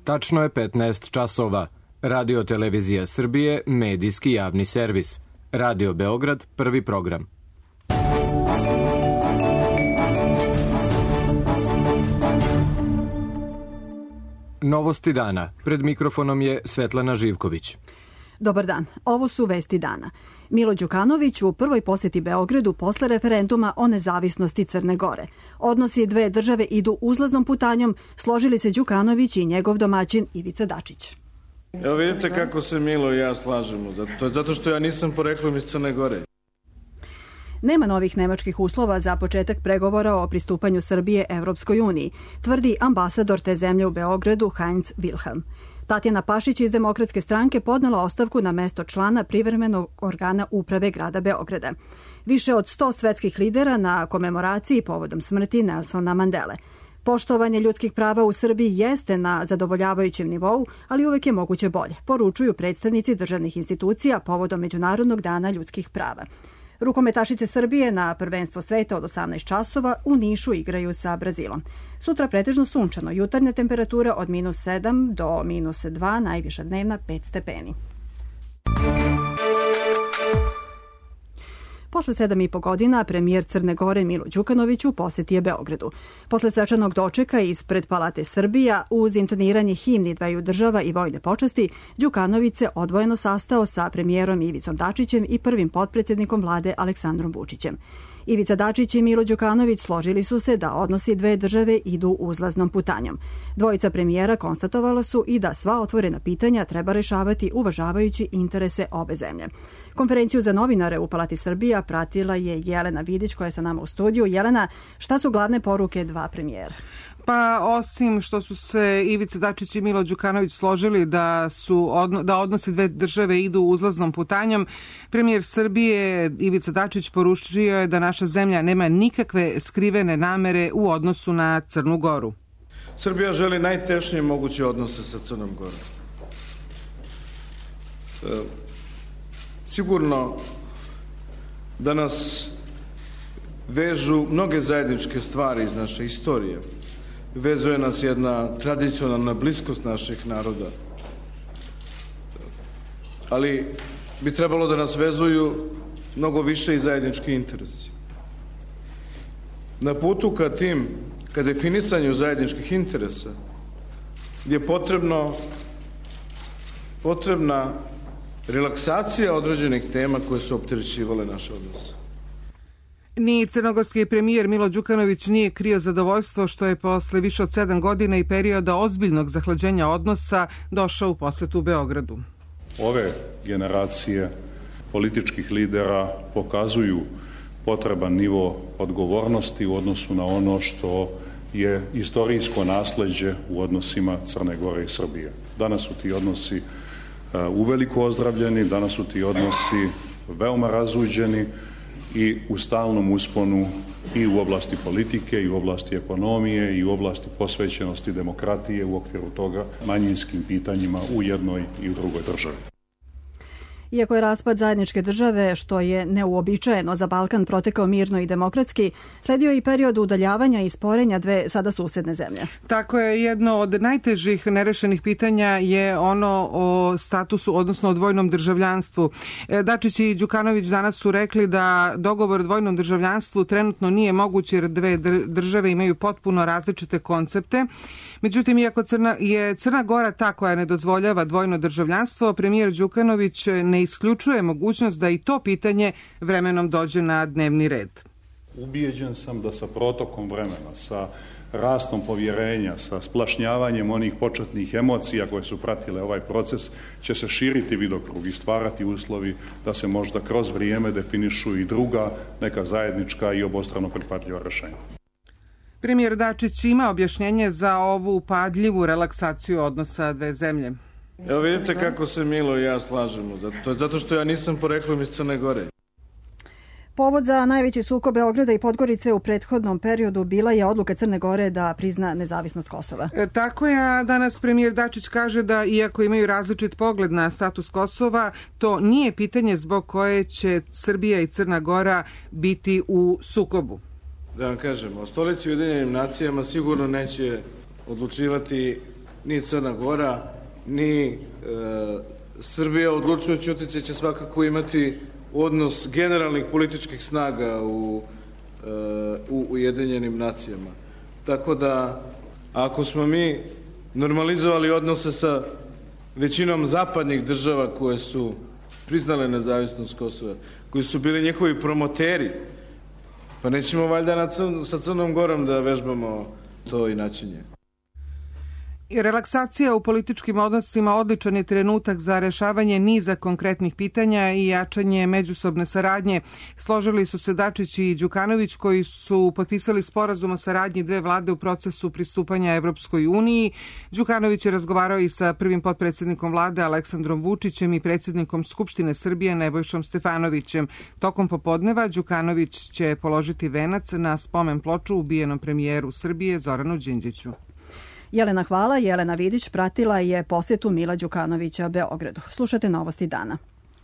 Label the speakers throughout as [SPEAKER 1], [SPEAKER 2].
[SPEAKER 1] Tačno je 15 časova. Radio Televizija Srbije, medijski javni servis. Radio Beograd, prvi program. Novosti dana. Pred mikrofonom je Svetlana Živković.
[SPEAKER 2] Dobar dan. Ovo su vesti dana. Milo Đukanović u prvoj poseti Beogradu posle referenduma o nezavisnosti Crne Gore. Odnosi dve države idu uzlaznom putanjom, složili se Đukanović i njegov domaćin Ivica Dačić.
[SPEAKER 3] Evo vidite kako se Milo i ja slažemo, zato što ja nisam poreklom iz Crne Gore.
[SPEAKER 2] Nema novih nemačkih uslova za početak pregovora o pristupanju Srbije Evropskoj uniji, tvrdi ambasador te zemlje u Beogradu Heinz Wilhelm. Tatjana Pašić iz Demokratske stranke podnela ostavku na mesto člana privremenog organa uprave grada Beograda. Više od 100 svetskih lidera na komemoraciji povodom smrti Nelsona Mandele. Poštovanje ljudskih prava u Srbiji jeste na zadovoljavajućem nivou, ali uvek je moguće bolje, poručuju predstavnici državnih institucija povodom Međunarodnog dana ljudskih prava. Rukometašice Srbije na prvenstvo sveta od 18 časova u Nišu igraju sa Brazilom. Sutra pretežno sunčano, jutarnja temperatura od -7 do -2, najviša dnevna 5 stepeni. Posle 7,5 godina premijer Crne Gore Milo Đukanović u poseti je Beogradu. Posle svečanog dočeka ispred Palate Srbija uz intoniranje himni dveju država i vojne počasti, Đukanović se odvojeno sastao sa premijerom Ivicom Dačićem i prvim potpredsjednikom vlade Aleksandrom Vučićem. Ivica Dačić i Milo Đukanović složili su se da odnosi dve države idu uzlaznom putanjom. Dvojica premijera konstatovala su i da sva otvorena pitanja treba rešavati uvažavajući interese obe zemlje. Konferenciju za novinare u Palati Srbija pratila je Jelena Vidić koja je sa nama u studiju. Jelena, šta su glavne poruke dva premijera?
[SPEAKER 4] Pa osim što su se Ivica Dačić i Milo Đukanović složili da odnosi dve države idu uzlaznom putanjom, premijer Srbije Ivica Dačić poručio je da naša zemlja nema nikakve skrivene namere u odnosu na Crnu Goru.
[SPEAKER 3] Srbija želi najtešnije moguće odnose sa Crnom Gorom. Sigurno da nas vežu mnoge zajedničke stvari iz naše istorije. Vezuje nas jedna tradicionalna bliskost naših naroda. Ali bi trebalo da nas vezuju mnogo više i zajednički interesi. Na putu ka definisanju zajedničkih interesa je potrebna relaksacija određenih tema koje su opterećivale naše odnose.
[SPEAKER 4] Ni crnogorski premijer Milo Đukanović nije krio zadovoljstvo što je posle više od 7 godina i perioda ozbiljnog zahlađenja odnosa došao u posetu Beogradu.
[SPEAKER 5] Ove generacije političkih lidera pokazuju potreban nivo odgovornosti u odnosu na ono što je istorijsko nasleđe u odnosima Crne Gore i Srbije. Danas su ti odnosi uveliko ozdravljeni, danas su ti odnosi veoma razuđeni i u stalnom usponu i u oblasti politike, i u oblasti ekonomije, i u oblasti posvećenosti demokratije u okviru toga manjinskim pitanjima u jednoj i u drugoj državi.
[SPEAKER 2] Iako je raspad zajedničke države, što je neuobičajeno za Balkan, protekao mirno i demokratski, sledio i period udaljavanja i sporenja dve sada susedne zemlje.
[SPEAKER 4] Tako je, jedno od najtežih nerešenih pitanja je ono o statusu, odnosno o dvojnom državljanstvu. Dačić i Đukanović danas su rekli da dogovor o dvojnom državljanstvu trenutno nije moguć jer dve države imaju potpuno različite koncepte. Međutim, iako je Crna Gora ta koja ne dozvoljava dvojno državljanstvo, premijer Đukanović ne isključuje mogućnost da i to pitanje vremenom dođe na dnevni red.
[SPEAKER 5] Ubijeđen sam da sa protokom vremena, sa rastom povjerenja, sa splašnjavanjem onih početnih emocija koje su pratile ovaj proces, će se širiti vidokrug i stvarati uslovi da se možda kroz vrijeme definišu i druga neka zajednička i obostrano prihvatljiva rješenja.
[SPEAKER 4] Premijer Dačić ima objašnjenje za ovu upadljivu relaksaciju odnosa dve zemlje.
[SPEAKER 3] Evo vidite kako se Milo i ja slažemo, zato što ja nisam poreklom iz Crne Gore.
[SPEAKER 2] Povod za najveći sukob Beograda i Podgorice u prethodnom periodu bila je odluka Crne Gore da prizna nezavisnost Kosova.
[SPEAKER 4] Tako je, a danas premijer Dačić kaže da iako imaju različit pogled na status Kosova, to nije pitanje zbog koje će Srbija i Crna Gora biti u sukobu.
[SPEAKER 3] Da vam kažem, o stolici u Ujedinjenim nacijama sigurno neće odlučivati ni Crna Gora, ni Srbija. Odlučujući uticaj će svakako imati odnos generalnih političkih snaga u Ujedinjenim nacijama. Tako da, ako smo mi normalizovali odnose sa većinom zapadnih država koje su priznale nezavisnost Kosova, koji su bili njihovi promoteri, pa nećemo valjda sa Crnom Gorom da vežbamo to inačenje.
[SPEAKER 4] Relaksacija u političkim odnosima odličan je trenutak za rešavanje niza konkretnih pitanja i jačanje međusobne saradnje. Složili su se Dačić i Đukanović koji su potpisali sporazum o saradnji dve vlade u procesu pristupanja Evropskoj uniji. Đukanović je razgovarao i sa prvim potpredsjednikom vlade Aleksandrom Vučićem i predsjednikom Skupštine Srbije Nebojšom Stefanovićem. Tokom popodneva Đukanović će položiti venac na spomen ploču ubijenom premijeru Srbije Zoranu Đinđiću.
[SPEAKER 2] Jelena hvala. Jelena Vidić pratila je posjetu Mila Đukanovića Beogradu. Slušate novosti dana.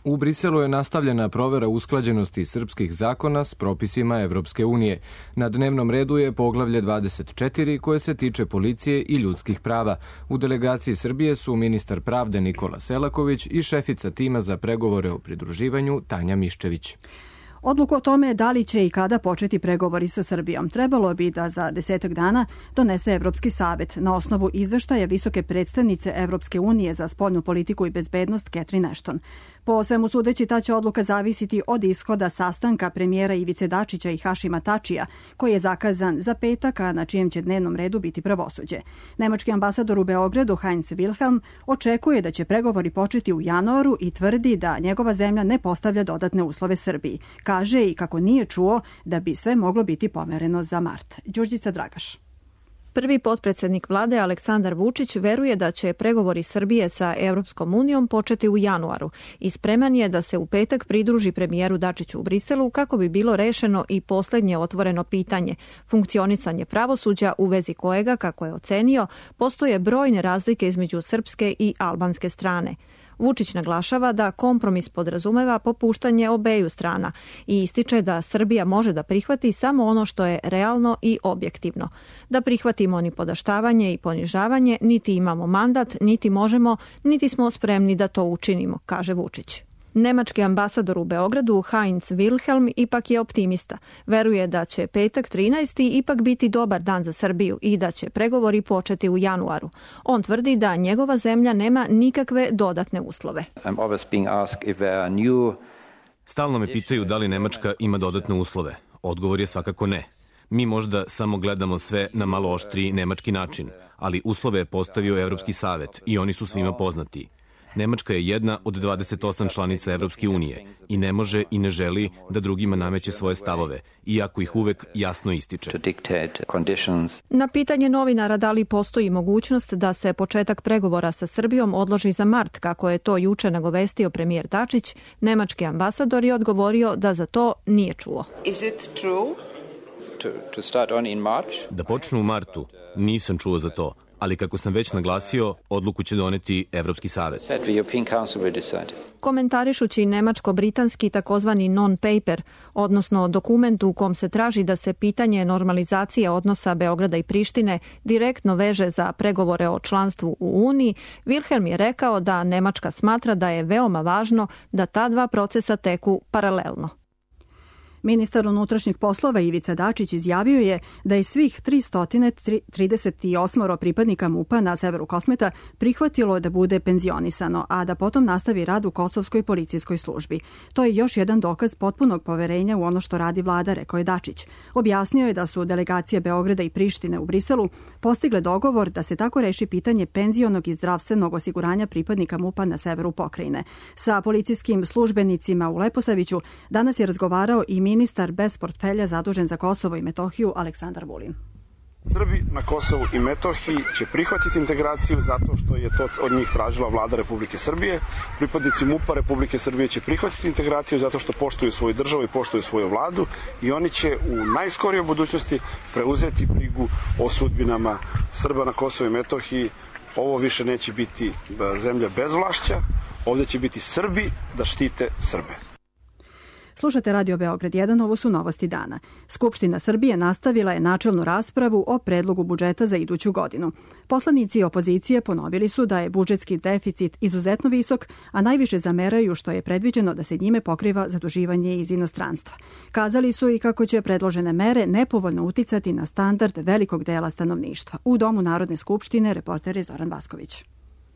[SPEAKER 1] U Briselu je nastavljena provera usklađenosti srpskih zakona s propisima Evropske unije. Na dnevnom redu je poglavlje 24 koje se tiče policije i ljudskih prava. U delegaciji Srbije su ministar pravde Nikola Selaković i šefica tima za pregovore o pridruživanju Tanja Miščević.
[SPEAKER 2] Odluku o tome da li će i kada početi pregovori sa Srbijom trebalo bi da za 10 dana donese Evropski savet na osnovu izveštaja visoke predstavnice Evropske unije za spoljnu politiku i bezbednost Catherine Ashton. Po svemu sudeći, ta će odluka zavisiti od ishoda sastanka premijera Ivice Dačića i Hašima Tačija, koji je zakazan za petak, a na čijem će dnevnom redu biti pravosuđe. Nemački ambasador u Beogradu Heinz Wilhelm očekuje da će pregovori početi u januaru i tvrdi da njegova zemlja ne postavlja dodatne uslove Srbiji. Kaže i kako nije čuo da bi sve moglo biti pomereno za mart. Đurđica Dragaš.
[SPEAKER 6] Prvi potpredsjednik vlade Aleksandar Vučić veruje da će pregovori Srbije sa Evropskom unijom početi u januaru i spreman je da se u petak pridruži premijeru Dačiću u Briselu kako bi bilo rešeno i posljednje otvoreno pitanje, funkcionisanje pravosuđa u vezi kojega, kako je ocenio, postoje brojne razlike između srpske i albanske strane. Vučić naglašava da kompromis podrazumeva popuštanje obeju strana i ističe da Srbija može da prihvati samo ono što je realno i objektivno. Da prihvatimo ni podaštavanje i ponižavanje, niti imamo mandat, niti možemo, niti smo spremni da to učinimo, kaže Vučić. Nemački ambasador u Beogradu Heinz Wilhelm ipak je optimista. Veruje da će petak 13. ipak biti dobar dan za Srbiju i da će pregovori početi u januaru. On tvrdi da njegova zemlja nema nikakve dodatne uslove.
[SPEAKER 7] Stalno me pitaju da li Nemačka ima dodatne uslove. Odgovor je svakako ne. Mi možda samo gledamo sve na malo oštriji nemački način, ali uslove je postavio Evropski savet i oni su svima poznati. Nemačka je jedna od 28 članica Evropske unije i ne može i ne želi da drugima nameće svoje stavove, iako ih uvek jasno ističe.
[SPEAKER 6] Na pitanje novinara da li postoji mogućnost da se početak pregovora sa Srbijom odloži za mart, kako je to juče nagovestio premijer Dačić, nemački ambasador je odgovorio da za to nije čuo.
[SPEAKER 7] Da počnu u martu, nisam čuo za to. Ali kako sam već naglasio, odluku će doneti Evropski savet.
[SPEAKER 6] Komentarišući nemačko-britanski takozvani non-paper, odnosno dokument u kom se traži da se pitanje normalizacije odnosa Beograda i Prištine direktno veže za pregovore o članstvu u Uniji, Wilhelm je rekao da Nemačka smatra da je veoma važno da ta dva procesa teku paralelno.
[SPEAKER 2] Ministar unutrašnjih poslova Ivica Dačić izjavio je da je svih 338 pripadnika MUP-a na severu Kosmeta prihvatilo da bude penzionisano, a da potom nastavi rad u kosovskoj policijskoj službi. To je još jedan dokaz potpunog poverenja u ono što radi vlada, rekao je Dačić. Objasnio je da su delegacije Beograda i Prištine u Briselu postigle dogovor da se tako reši pitanje penzionog i zdravstvenog osiguranja pripadnika MUP-a na severu pokrajine. Sa policijskim službenicima u Leposaviću danas je razgovarao i ministar bez portfelja zadužen za Kosovo i Metohiju Aleksandar Vulin.
[SPEAKER 8] Srbi na Kosovu i Metohiji će prihvatiti integraciju zato što je to od njih tražila vlada Republike Srbije. Pripadnici MUP-a Republike Srbije će prihvatiti integraciju zato što poštuju svoju državu i poštuju svoju vladu i oni će u najskorijoj budućnosti preuzeti brigu o sudbinama Srba na Kosovu i Metohiji. Ovo više neće biti zemlja bez vlašća, ovdje će biti Srbi da štite Srbe.
[SPEAKER 2] Slušate Radio Beograd 1, ovo su novosti dana. Skupština Srbije nastavila je načelnu raspravu o predlogu budžeta za iduću godinu. Poslanici opozicije ponovili su da je budžetski deficit izuzetno visok, a najviše zameraju što je predviđeno da se njime pokriva zaduživanje iz inostranstva. Kazali su i kako će predložene mere nepovoljno uticati na standard velikog dela stanovništva. U Domu Narodne skupštine reporter je Zoran Vasković.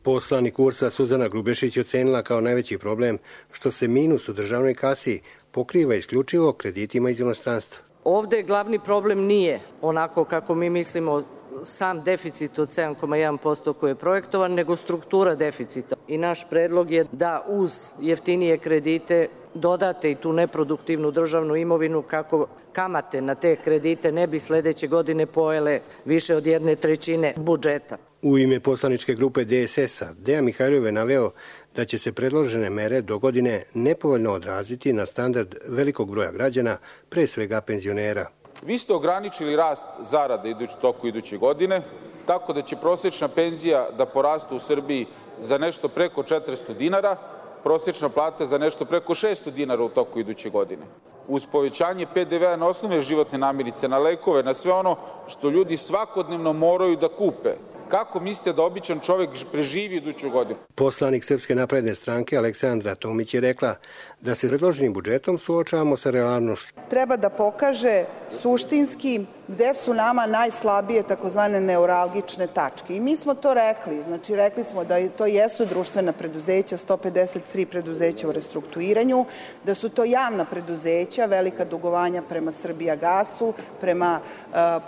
[SPEAKER 9] Poslanik URS-a Suzana Grubešić ocenila kao najveći problem što se minus u državnoj kasi pokriva isključivo kreditima iz inostranstva.
[SPEAKER 10] Ovde glavni problem nije onako kako mi mislimo sam deficit od 7,1% koji je projektovan, nego struktura deficita. I naš predlog je da uz jeftinije kredite dodate i tu neproduktivnu državnu imovinu kako kamate na te kredite ne bi sledeće godine pojele više od 1/3 budžeta.
[SPEAKER 9] U ime poslaničke grupe DSS-a Dejan Mihajlov je naveo da će se predložene mere do godine nepovoljno odraziti na standard velikog broja građana, pre svega penzionera.
[SPEAKER 11] Vi ste ograničili rast zarade toku iduće godine, tako da će prosečna penzija da poraste u Srbiji za nešto preko 400 dinara, prosečna plata za nešto preko 600 dinara u toku iduće godine. Uz povećanje PDV-a na osnovne životne namirnice, na lekove, na sve ono što ljudi svakodnevno moraju da kupe. Kako mislite da običan čovek preživi iduću godinu?
[SPEAKER 9] Poslanik Srpske napredne stranke Aleksandra Tomić je rekla da se s predloženim budžetom suočavamo sa realnošću.
[SPEAKER 12] Treba da pokaže suštinski gde su nama najslabije takozvane neuralgične tačke. I mi smo to rekli. Znači, rekli smo da to jesu društvena preduzeća, 153 preduzeća u restrukturiranju, da su to javna preduzeća, velika dugovanja prema Srbijagasu, prema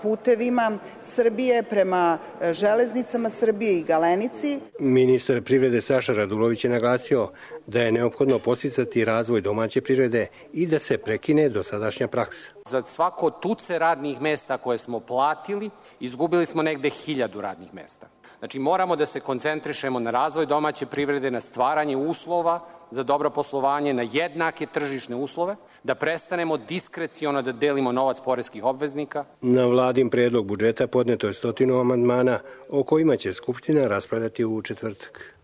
[SPEAKER 12] putevima Srbije, prema železnicama Srbije i Galenici.
[SPEAKER 9] Ministar privrede Saša Radulović je naglasio da je neophodno podsticati razvoj domaće privrede i da se prekine dosadašnja praksa.
[SPEAKER 13] Za svako tuce radnih mesta koje smo platili, izgubili smo negde 1000 radnih mesta. Znači, moramo da se koncentrišemo na razvoj domaće privrede, na stvaranje uslova za dobro poslovanje, na jednake tržišne uslove, da prestanemo diskreciono da delimo novac poreskih obveznika.
[SPEAKER 9] Na vladin predlog budžeta podneto je 100 amandmana o kojima će Skupština raspravljati u četvrtak.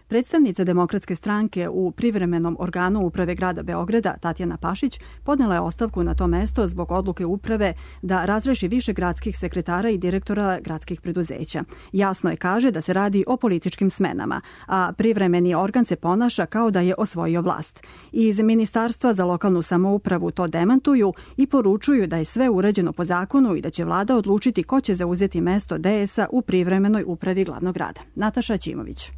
[SPEAKER 2] Predstavnica Demokratske stranke u privremenom organu uprave grada Beograda, Tatjana Pašić, podnela je ostavku na to mesto zbog odluke uprave da razreši više gradskih sekretara i direktora gradskih preduzeća. Jasno je, kaže, da se radi o političkim smenama, a privremeni organ se ponaša kao da je osvojio vlast. Iz Ministarstva za lokalnu samoupravu to demantuju i poručuju da je sve urađeno po zakonu i da će vlada odlučiti ko će zauzeti mesto DS-a u privremenoj upravi glavnog grada. Nataša Ćimović.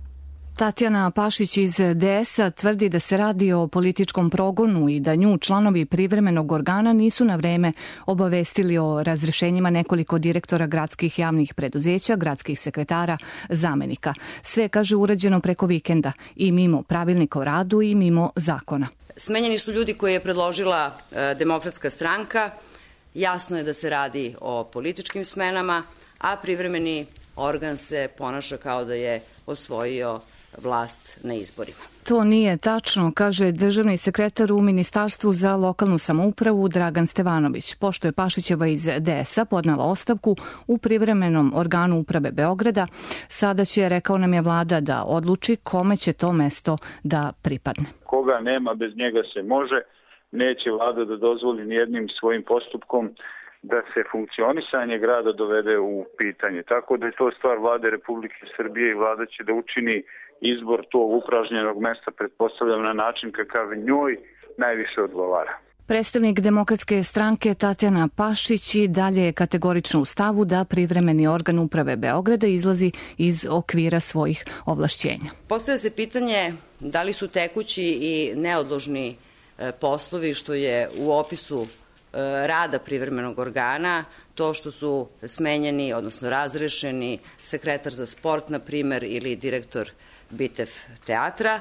[SPEAKER 14] Tatjana Pašić iz DS-a tvrdi da se radi o političkom progonu i da nju članovi privremenog organa nisu na vreme obavestili o razrešenjima nekoliko direktora gradskih javnih preduzeća, gradskih sekretara, zamenika. Sve, kaže, urađeno preko vikenda i mimo pravilnika o radu i mimo zakona.
[SPEAKER 15] Smenjeni su ljudi koje je predložila Demokratska stranka. Jasno je da se radi o političkim smenama, a privremeni organ se ponaša kao da je osvojio vlast na izborima.
[SPEAKER 14] To nije tačno, kaže državni sekretar u Ministarstvu za lokalnu samoupravu Dragan Stevanović. Pošto je Pašićeva iz DS-a podnela ostavku u privremenom organu uprave Beograda, sada će, rekao nam je vlada, da odluči kome će to mesto da pripadne.
[SPEAKER 16] Koga nema, bez njega se može. Neće vlada da dozvoli nijednim svojim postupkom da se funkcionisanje grada dovede u pitanje. Tako da je to stvar vlade Republike Srbije i vlada će da učini izbor tog upražnjenog mesta, pretpostavljam, na način kakav njoj najviše odgovara.
[SPEAKER 14] Predstavnik Demokratske stranke Tatjana Pašić i dalje je kategorično u stavu da privremeni organ uprave Beograda izlazi iz okvira svojih ovlašćenja.
[SPEAKER 15] Postavlja se pitanje da li su tekući i neodložni poslovi, što je u opisu rada privremenog organa, to što su smenjeni, odnosno razrešeni sekretar za sport, na primer, ili direktor Bitev teatra,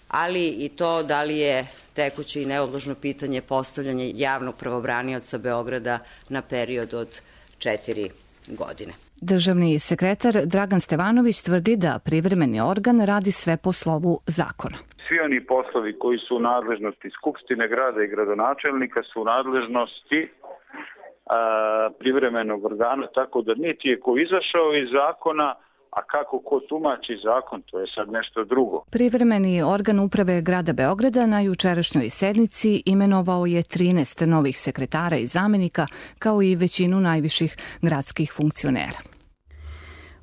[SPEAKER 15] ali i to da li je tekuće i neodložno pitanje postavljanje javnog pravobranioca Beograda na period od 4 godine.
[SPEAKER 14] Državni sekretar Dragan Stevanović tvrdi da privremeni organ radi sve po slovu zakona.
[SPEAKER 16] Svi oni poslovi koji su u nadležnosti Skupštine grada i gradonačelnika su u nadležnosti privremenog organa, tako da niti je ko izašao iz zakona, a kako ko tumači zakon, to je sad nešto drugo.
[SPEAKER 14] Privremeni organ uprave grada Beograda na jučerašnjoj sednici imenovao je 13 novih sekretara i zamenika, kao i većinu najviših gradskih funkcionera.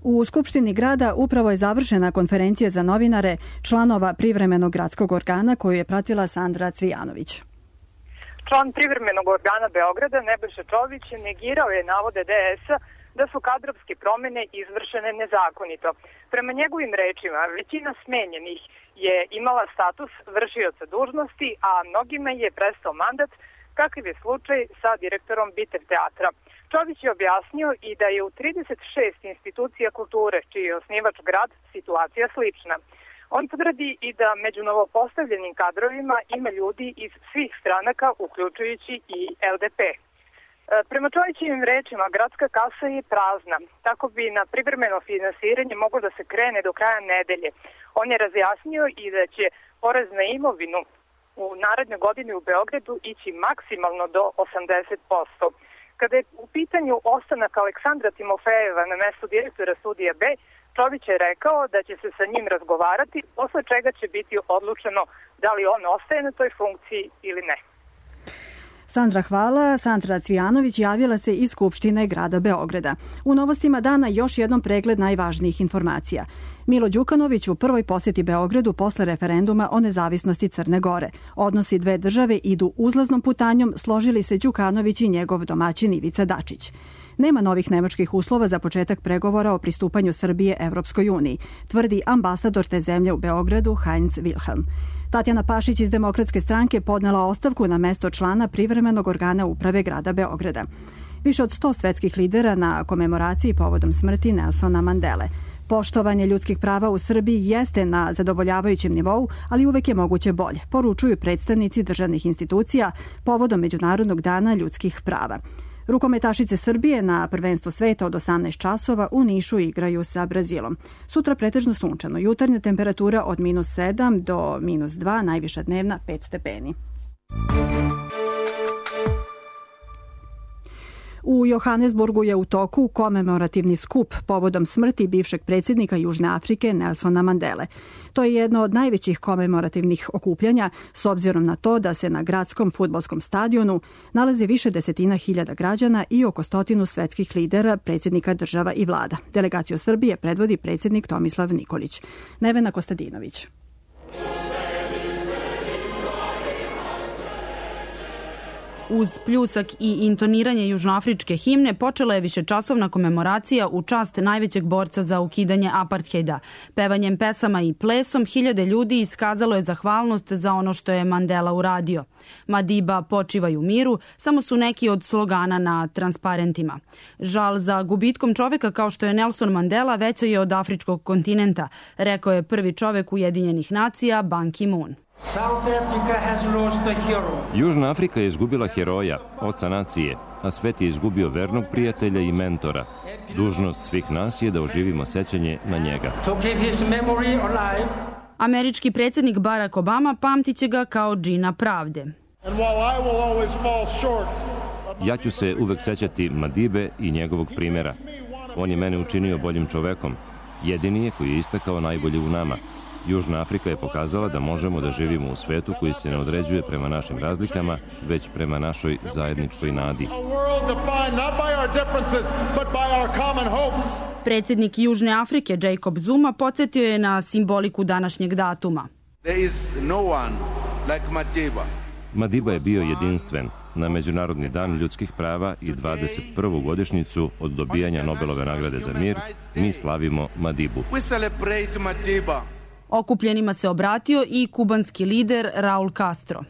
[SPEAKER 2] U Skupštini grada upravo je završena konferencija za novinare članova privremenog gradskog organa koju je pratila Sandra Cvijanović.
[SPEAKER 17] Član privremenog organa Beograda Nebojša Čović negirao je navode DS-a da su kadrovske promene izvršene nezakonito. Prema njegovim rečima, većina smenjenih je imala status vršioca dužnosti, a mnogima je prestao mandat, kakav je slučaj sa direktorom Bitev teatra. Čović je objasnio i da je u 36 institucija kulture, čiji je osnivač grad, situacija slična. On tvrdi i da među novopostavljenim kadrovima ima ljudi iz svih stranaka, uključujući i LDP. Prema Čovićevim rečima, gradska kasa je prazna, tako bi na privremeno finansiranje moglo da se krene do kraja nedelje. On je razjasnio i da će porez na imovinu u narednoj godini u Beogradu ići maksimalno do 80%. Kada je u pitanju ostanak Aleksandra Timofejeva na mestu direktora studija B, Čović je rekao da će se sa njim razgovarati, posle čega će biti odlučeno da li on ostaje na toj funkciji ili ne.
[SPEAKER 2] Sandra, hvala. Sandra Cvijanović javila se iz Skupštine grada Beograda. U novostima dana još jednom pregled najvažnijih informacija. Milo Đukanović u prvoj posjeti Beogradu posle referenduma o nezavisnosti Crne Gore. Odnosi dve države idu uzlaznom putanjom, složili se Đukanović i njegov domaćin Ivica Dačić. Nema novih nemačkih uslova za početak pregovora o pristupanju Srbije Evropskoj uniji, tvrdi ambasador te zemlje u Beogradu Heinz Wilhelm. Tatjana Pašić iz Demokratske stranke podnela ostavku na mesto člana privremenog organa uprave grada Beograda. Više od 100 svetskih lidera na komemoraciji povodom smrti Nelsona Mandele. Poštovanje ljudskih prava u Srbiji jeste na zadovoljavajućem nivou, ali uvek je moguće bolje, poručuju predstavnici državnih institucija povodom Međunarodnog dana ljudskih prava. Rukometašice Srbije na prvenstvu sveta od 18 časova u Nišu igraju sa Brazilom. Sutra pretežno sunčano, jutarnja temperatura od -7 do -2, najviša dnevna 5 stepeni. U Johannesburgu je u toku komemorativni skup povodom smrti bivšeg predsjednika Južne Afrike Nelsona Mandele. To je jedno od najvećih komemorativnih okupljanja s obzirom na to da se na gradskom fudbalskom stadionu nalaze više desetina hiljada građana i oko 100 svetskih lidera, predsjednika država i vlada. Delegaciju Srbije predvodi predsjednik Tomislav Nikolić. Nevena Kostadinović.
[SPEAKER 18] Uz pljusak i intoniranje južnoafričke himne počela je višečasovna komemoracija u čast najvećeg borca za ukidanje aparthejda. Pevanjem pesama i plesom hiljade ljudi iskazalo je zahvalnost za ono što je Mandela uradio. Madiba, počivaj u miru, samo su neki od slogana na transparentima. Žal za gubitkom čoveka kao što je Nelson Mandela veća je od afričkog kontinenta, rekao je prvi čovek Ujedinjenih nacija Ban Ki-moon.
[SPEAKER 19] Južna Afrika je izgubila heroja, oca nacije, a svet je izgubio vernog prijatelja i mentora. Dužnost svih nas je da oživimo sećanje na njega.
[SPEAKER 18] Američki predsjednik Barack Obama pamtiće ga kao džina pravde.
[SPEAKER 19] Ja ću se uvek sećati Madibe i njegovog primjera. On je mene učinio boljim čovekom. Jedini je koji je istakao najbolje u nama. Južna Afrika je pokazala da možemo da živimo u svetu koji se ne određuje prema našim razlikama, već prema našoj zajedničkoj nadi.
[SPEAKER 18] Predsjednik Južne Afrike Jacob Zuma podsjetio je na simboliku današnjeg datuma.
[SPEAKER 19] Madiba je bio jedinstven. Na Međunarodni dan ljudskih prava i 21. godišnjicu od dobijanja Nobelove nagrade za mir, mi slavimo Madibu.
[SPEAKER 18] Okupljenima se obratio i kubanski lider Raul Castro.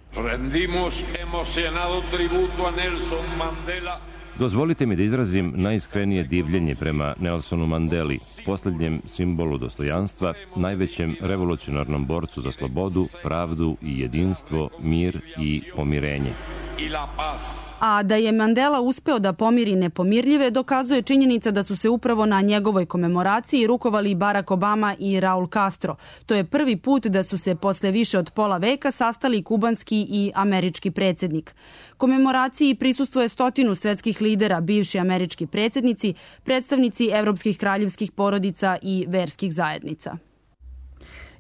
[SPEAKER 19] Dozvolite mi da izrazim najiskrenije divljenje prema Nelsonu Mandeli, posljednjem simbolu dostojanstva, najvećem revolucionarnom borcu za slobodu, pravdu i jedinstvo, mir i pomirenje.
[SPEAKER 18] A da je Mandela uspeo da pomiri nepomirljive dokazuje činjenica da su se upravo na njegovoj komemoraciji rukovali Barack Obama i Raul Castro. To je prvi put da su se posle više od pola veka sastali kubanski i američki predsjednik. Komemoraciji prisustvuje 100 svetskih lidera, bivši američki predsjednici, predstavnici evropskih kraljevskih porodica i verskih zajednica.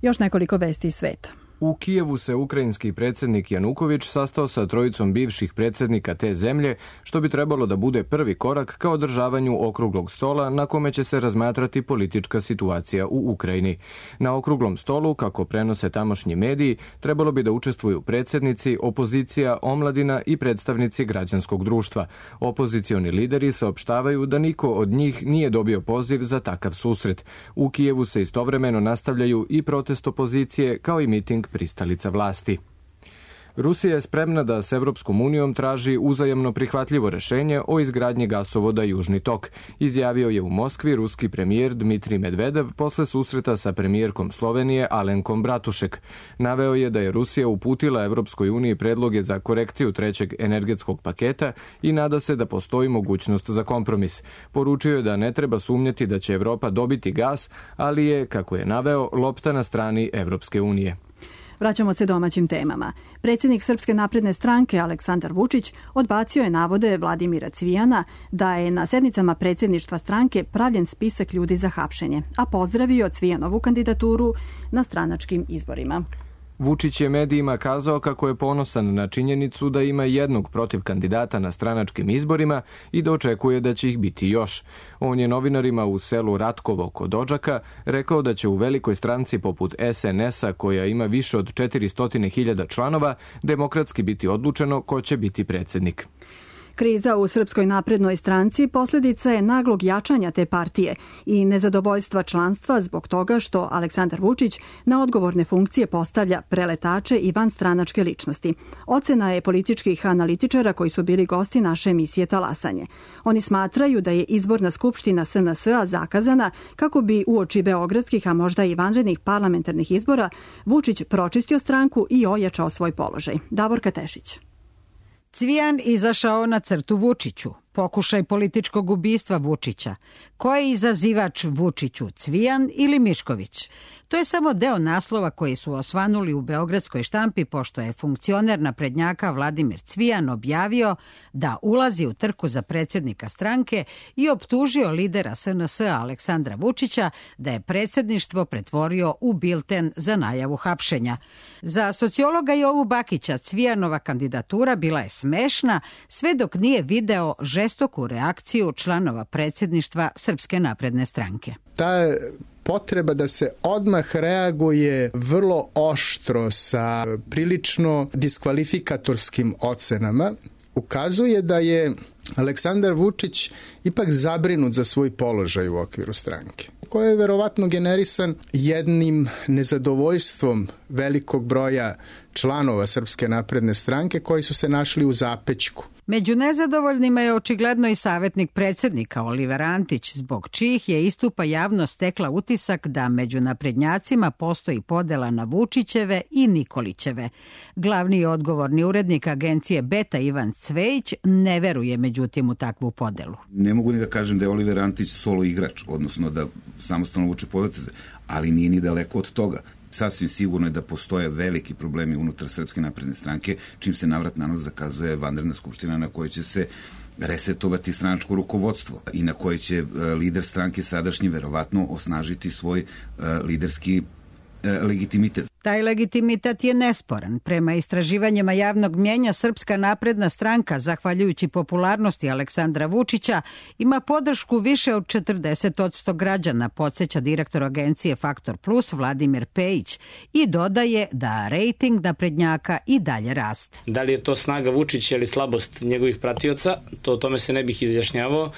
[SPEAKER 2] Još nekoliko vesti iz sveta.
[SPEAKER 1] U Kijevu se ukrajinski predsjednik Januković sastao sa trojicom bivših predsjednika te zemlje, što bi trebalo da bude prvi korak ka održavanju okruglog stola na kome će se razmatrati politička situacija u Ukrajini. Na okruglom stolu, kako prenose tamošnji mediji, trebalo bi da učestvuju predsjednici, opozicija, omladina i predstavnici građanskog društva. Opozicioni lideri saopštavaju da niko od njih nije dobio poziv za takav susret. U Kijevu se istovremeno nastavljaju i protest opozicije kao i miting pristalica vlasti. Rusija je spremna da s Evropskom unijom traži uzajamno prihvatljivo rešenje o izgradnji gasovoda Južni tok, izjavio je u Moskvi ruski premijer Dmitrij Medvedev posle susreta sa premijerkom Slovenije Alenkom Bratušek. Naveo je da je Rusija uputila Evropskoj uniji predloge za korekciju trećeg energetskog paketa i nada se da postoji mogućnost za kompromis. Poručio je da ne treba sumnjati da će Evropa dobiti gas, ali je, kako je naveo, lopta na strani Evropske unije.
[SPEAKER 2] Vraćamo se domaćim temama. Predsjednik Srpske napredne stranke Aleksandar Vučić odbacio je navode Vladimira Cvijana da je na sednicama predsjedništva stranke pravljen spisak ljudi za hapšenje, a pozdravio Cvijanovu kandidaturu na stranačkim izborima.
[SPEAKER 1] Vučić je medijima kazao kako je ponosan na činjenicu da ima jednog protiv kandidata na stranačkim izborima i da očekuje da će ih biti još. On je novinarima u selu Ratkovo kod Odžaka rekao da će u velikoj stranci poput SNS-a, koja ima više od 400.000 članova, demokratski biti odlučeno ko će biti predsjednik.
[SPEAKER 2] Kriza u Srpskoj naprednoj stranci posljedica je naglog jačanja te partije i nezadovoljstva članstva zbog toga što Aleksandar Vučić na odgovorne funkcije postavlja preletače i vanstranačke ličnosti. Ocena je političkih analitičara koji su bili gosti naše emisije Talasanje. Oni smatraju da je izborna skupština SNS-a zakazana kako bi uoči beogradskih, a možda i vanrednih parlamentarnih izbora Vučić pročistio stranku i ojačao svoj položaj. Davorka Tešić.
[SPEAKER 20] Cvijan izašao na crtu Vučiću. Pokušaj političkog ubistva Vučića. Ko je izazivač Vučiću, Cvijan ili Mišković? To je samo deo naslova koji su osvanuli u beogradskoj štampi, pošto je funkcioner naprednjaka Vladimir Cvijan objavio da ulazi u trku za predsjednika stranke i optužio lidera SNS-a Aleksandra Vučića da je predsjedništvo pretvorio u bilten za najavu hapšenja. Za sociologa Jovu Bakića Cvijanova kandidatura bila je smešna sve dok nije video žestoku reakciju članova predsjedništva Srpske napredne stranke.
[SPEAKER 21] Ta potreba da se odmah reaguje vrlo oštro sa prilično diskvalifikatorskim ocenama ukazuje da je Aleksandar Vučić ipak zabrinut za svoj položaj u okviru stranke, koji je verovatno generisan jednim nezadovoljstvom velikog broja članova Srpske napredne stranke koji su se našli u zapećku.
[SPEAKER 20] Među nezadovoljnima je očigledno i savjetnik predsjednika Oliver Antić, zbog čijih je istupa javnost stekla utisak da među naprednjacima postoji podela na Vučićeve i Nikolićeve. Glavni odgovorni urednik agencije Beta Ivan Cvejić ne veruje međutim u takvu podelu.
[SPEAKER 22] Ne mogu ni da kažem da je Oliver Antić solo igrač, odnosno da samostalno vuče poteze, ali nije ni daleko od toga. Sasvim sigurno je da postoje veliki problemi unutar Srpske napredne stranke, čim se navrat na nos zakazuje vanredna skupština na kojoj će se resetovati stranačko rukovodstvo i na kojoj će lider stranke sadašnji verovatno osnažiti svoj liderski legitimitet.
[SPEAKER 20] Taj legitimitet je nesporan. Prema istraživanjima javnog mnjenja, Srpska napredna stranka, zahvaljujući popularnosti Aleksandra Vučića, ima podršku više od 40% građana, podsjeća direktor agencije Faktor Plus Vladimir Pejić i dodaje da rejting naprednjaka i dalje raste.
[SPEAKER 23] Da li je to snaga Vučića ili slabost njegovih pratioca, o tome se ne bih izjašnjavao.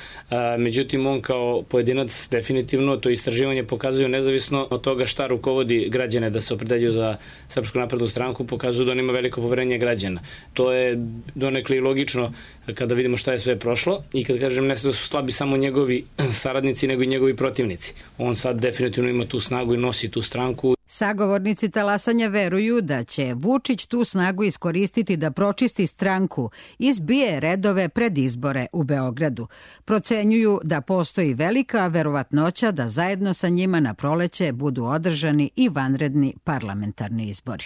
[SPEAKER 23] Međutim, on kao pojedinac definitivno to istraživanje pokazuje nezavisno od toga šta rukovodi građane da se opredeljuju za Srpsku naprednu stranku, pokazuju da on ima veliko poverenje građana. To je donekle i logično kada vidimo šta je sve prošlo i kad kažem ne da su slabi samo njegovi saradnici nego i njegovi protivnici. On sad definitivno ima tu snagu i nosi tu stranku.
[SPEAKER 20] Sagovornici talasanja veruju da će Vučić tu snagu iskoristiti da pročisti stranku i zbije redove pred izbore u Beogradu. Procenjuju da postoji velika verovatnoća da zajedno sa njima na proleće budu održani i vanredni parlamentarni izbori.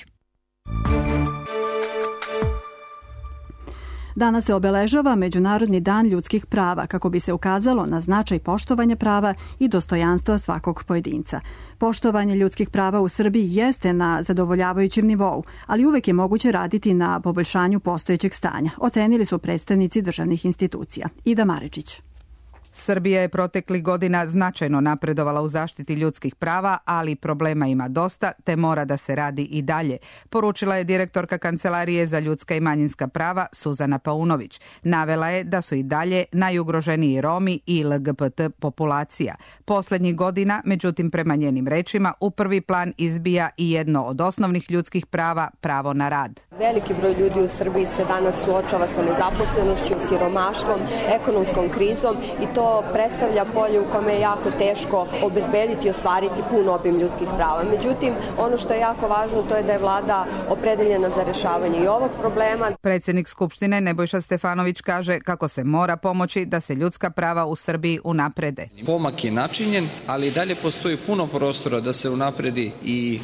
[SPEAKER 2] Danas se obeležava Međunarodni dan ljudskih prava kako bi se ukazalo na značaj poštovanja prava i dostojanstva svakog pojedinca. Poštovanje ljudskih prava u Srbiji jeste na zadovoljavajućem nivou, ali uvek je moguće raditi na poboljšanju postojećeg stanja, ocenili su predstavnici državnih institucija. Ida Marečić.
[SPEAKER 3] Srbija je proteklih godina značajno napredovala u zaštiti ljudskih prava, ali problema ima dosta, te mora da se radi i dalje, poručila je direktorka Kancelarije za ljudska i manjinska prava Suzana Paunović. Navela je da su i dalje najugroženiji Romi i LGBT populacija. Poslednjih godina, međutim, prema njenim rečima, u prvi plan izbija i jedno od osnovnih ljudskih prava, pravo na rad.
[SPEAKER 4] Veliki broj ljudi u Srbiji se danas suočava sa nezaposlenošću, siromaštvom, ekonomskom krizom i to predstavlja polje u kome je jako teško obezbediti i ostvariti pun obim ljudskih prava. Međutim, ono što je jako važno to je da je vlada opredeljena za rešavanje i ovog problema.
[SPEAKER 3] Predsjednik Skupštine Nebojša Stefanović kaže kako se mora pomoći da se ljudska prava u Srbiji unaprede.
[SPEAKER 5] Pomak je načinjen, ali i dalje postoji puno prostora da se unapredi i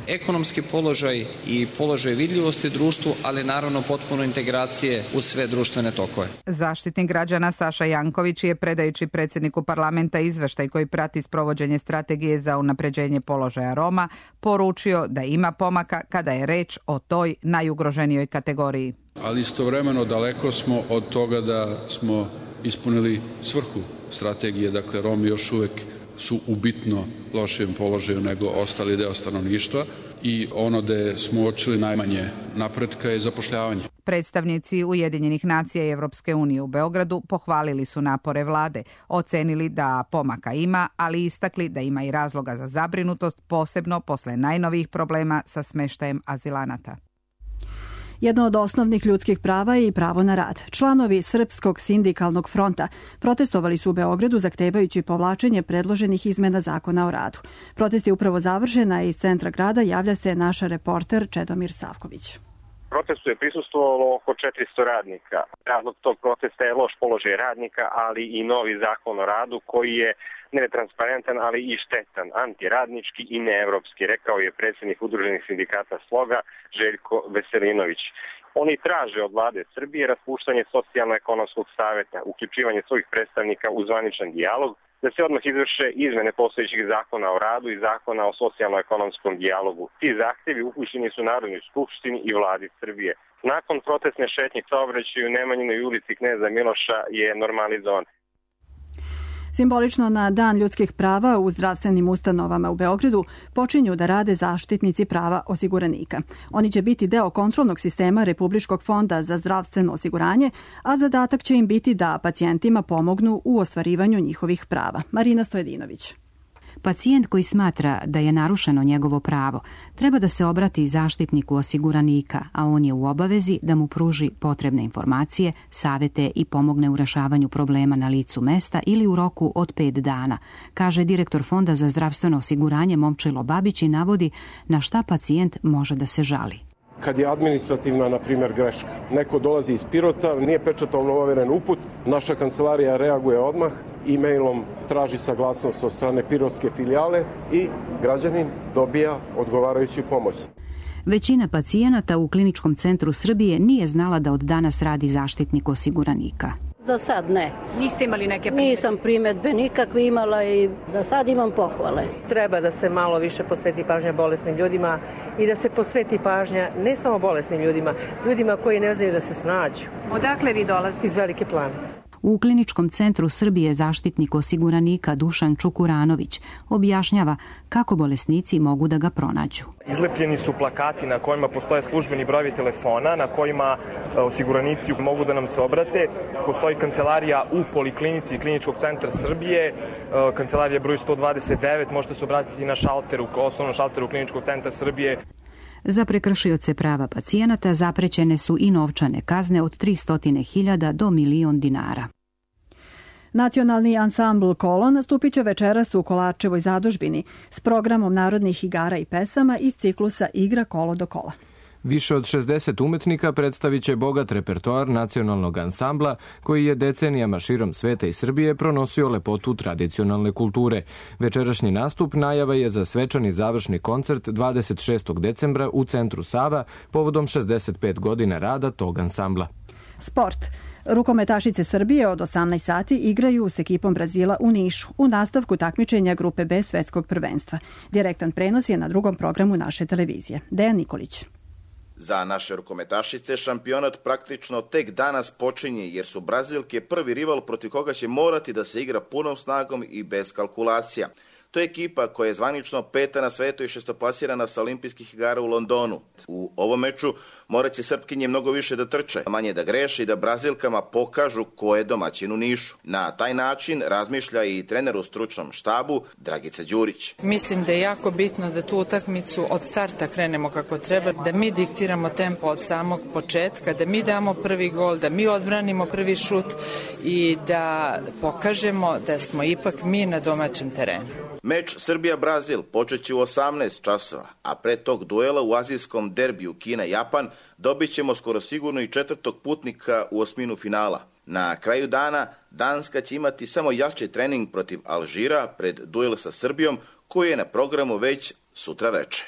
[SPEAKER 5] ekonomski položaj i položaj vidljivosti društvu, ali naravno potpuno integracije u sve društvene tokove.
[SPEAKER 3] Zaštitnik građana Saša Janković je predajući predsjedniku parlamenta izveštaj koji prati sprovođenje strategije za unapređenje položaja Roma, poručio da ima pomaka kada je reč o toj najugroženijoj kategoriji.
[SPEAKER 24] Ali istovremeno daleko smo od toga da smo ispunili svrhu strategije, dakle Romi još uvek su u bitno lošijem položaju nego ostali deo stanovništva i ono gde smo uočili najmanje napretka je zapošljavanje.
[SPEAKER 3] Predstavnici Ujedinjenih nacija i Evropske unije u Beogradu pohvalili su napore vlade, ocenili da pomaka ima, ali istakli da ima i razloga za zabrinutost, posebno posle najnovijih problema sa smeštajem azilanata.
[SPEAKER 2] Jedno od osnovnih ljudskih prava je i pravo na rad. Članovi Srpskog sindikalnog fronta protestovali su u Beogradu zahtevajući povlačenje predloženih izmena zakona o radu. Protest je upravo završen, a iz centra grada javlja se naš reporter Čedomir Savković.
[SPEAKER 25] Protestu je prisustvovalo oko 400 radnika. Razlog tog protesta je loš položaj radnika, ali i novi zakon o radu koji je netransparentan, ali i štetan, antiradnički i neevropski, rekao je predsjednik Udruženih sindikata Sloga Željko Veselinović. Oni traže od vlade Srbije raspuštanje socijalno-ekonomskog saveta, uključivanje svojih predstavnika u zvaničan dijalog, da se odmah izvrše izmene postojećih zakona o radu i zakona o socijalno-ekonomskom dijalogu. Ti zahtjevi upućeni su Narodnoj skupštini i vladi Srbije. Nakon protestne šetnje saobraćaj u Nemanjinoj ulici Kneza Miloša je normalizovan.
[SPEAKER 2] Simbolično na Dan ljudskih prava u zdravstvenim ustanovama u Beogradu počinju da rade zaštitnici prava osiguranika. Oni će biti deo kontrolnog sistema Republičkog fonda za zdravstveno osiguranje, a zadatak će im biti da pacijentima pomognu u ostvarivanju njihovih prava. Marina Stojedinović.
[SPEAKER 26] Pacijent koji smatra da je narušeno njegovo pravo treba da se obrati zaštitniku osiguranika, a on je u obavezi da mu pruži potrebne informacije, savete i pomogne u rešavanju problema na licu mesta ili u roku od 5 dana, kaže direktor Fonda za zdravstveno osiguranje Momčilo Babić i navodi na šta pacijent može da se žali.
[SPEAKER 27] Kad je administrativna, na primjer, greška. Neko dolazi iz Pirota, nije pečatovno overen uput, naša kancelarija reaguje odmah, e-mailom traži saglasnost od strane pirotske filijale i građanin dobija odgovarajuću pomoć.
[SPEAKER 26] Većina pacijenata u Kliničkom centru Srbije nije znala da od danas radi zaštitnik osiguranika.
[SPEAKER 28] Za sad ne.
[SPEAKER 29] Niste imali neke primjedbe?
[SPEAKER 28] Nisam primjedbe nikakve imala i za sad imam pohvale.
[SPEAKER 30] Treba da se malo više posveti pažnja bolesnim ljudima i da se posveti pažnja ne samo bolesnim ljudima, ljudima koji ne znaju da se snađu.
[SPEAKER 29] Odakle vi dolazite?
[SPEAKER 30] Iz Velike Plane.
[SPEAKER 26] U Kliničkom centru Srbije zaštitnik osiguranika Dušan Čukuranović objašnjava kako bolesnici mogu da ga pronađu.
[SPEAKER 31] Izlepljeni su plakati na kojima postoje službeni brojevi telefona, na kojima osiguranici mogu da nam se obrate. Postoji kancelarija u Poliklinici Kliničkog centra Srbije, kancelarija broj 129, možete se obratiti na šalteru, osnovnom šalteru Kliničkog centra Srbije.
[SPEAKER 26] Za prekršioce prava pacijenata zaprećene su i novčane kazne od 300.000 do 1.000.000 dinara.
[SPEAKER 2] Nacionalni ansambl Kolon nastupit će večeras u Kolarčevoj zadužbini s programom narodnih igara i pesama iz ciklusa Igra kolo do kola.
[SPEAKER 1] Više od 60 umetnika predstavit će bogat repertoar nacionalnog ansambla koji je decenijama širom sveta i Srbije pronosio lepotu tradicionalne kulture. Večerašnji nastup najava je za svečani završni koncert 26. decembra u centru Sava povodom 65 godina rada tog ansambla.
[SPEAKER 2] Sport. Rukometašice Srbije od 18 sati igraju s ekipom Brazila u Nišu u nastavku takmičenja Grupe B svetskog prvenstva. Direktan prenos je na drugom programu naše televizije. Dejan Nikolić.
[SPEAKER 6] Za naše rukometašice šampionat praktično tek danas počinje jer su Brazilke prvi rival protiv koga će morati da se igra punom snagom i bez kalkulacija. To je ekipa koja je zvanično 5. na svetu i 6. plasirana sa olimpijskih igara u Londonu. U ovom meču morat će Srpkinje mnogo više da trče, manje da greše i da Brazilkama pokažu ko je domaćin u Nišu. Na taj način razmišlja i trener u stručnom štabu Dragica Đurić.
[SPEAKER 7] Mislim da je jako bitno da tu utakmicu od starta krenemo kako treba, da mi diktiramo tempo od samog početka, da mi damo prvi gol, da mi odbranimo prvi šut i da pokažemo da smo ipak mi na domaćem terenu.
[SPEAKER 6] Meč Srbija-Brazil počeće u 18 časova, a pre tog duela u azijskom derbiju Kina-Japan dobit ćemo skoro sigurno i 4. putnika u osminu finala. Na kraju dana Danska će imati samo jači trening protiv Alžira pred duel sa Srbijom koji je na programu već sutra veče.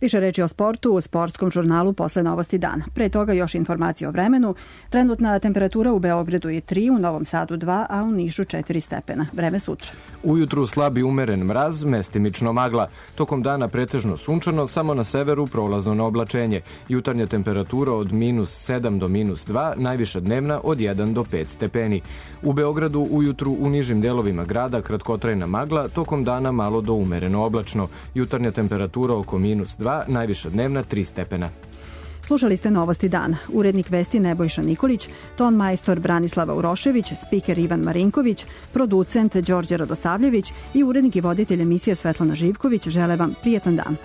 [SPEAKER 2] Više reči o sportu u sportskom žurnalu posle novosti dana. Pre toga još informacije o vremenu. Trenutna temperatura u Beogradu je 3, u Novom Sadu 2, a u Nišu 4 stepena. Vreme sutra.
[SPEAKER 1] Ujutru slab i umeren mraz, mestimično magla. Tokom dana pretežno sunčano, samo na severu prolazno na oblačenje. Jutarnja temperatura od -7 do -2, najviša dnevna od 1 do 5 stepeni. U Beogradu ujutru u nižim delovima grada kratkotrajna magla, tokom dana malo do umereno oblačno. Jutarnja temperatura oko -2, najviša dnevna 3 stepena.
[SPEAKER 2] Slušali ste novosti dana. Urednik vesti Nebojša Nikolić, ton majstor Branislava Urošević, spiker Ivan Marinković, producent Đorđe Radosavljević i urednik i voditelj emisije Svetlana Živković žele vam prijetan dan.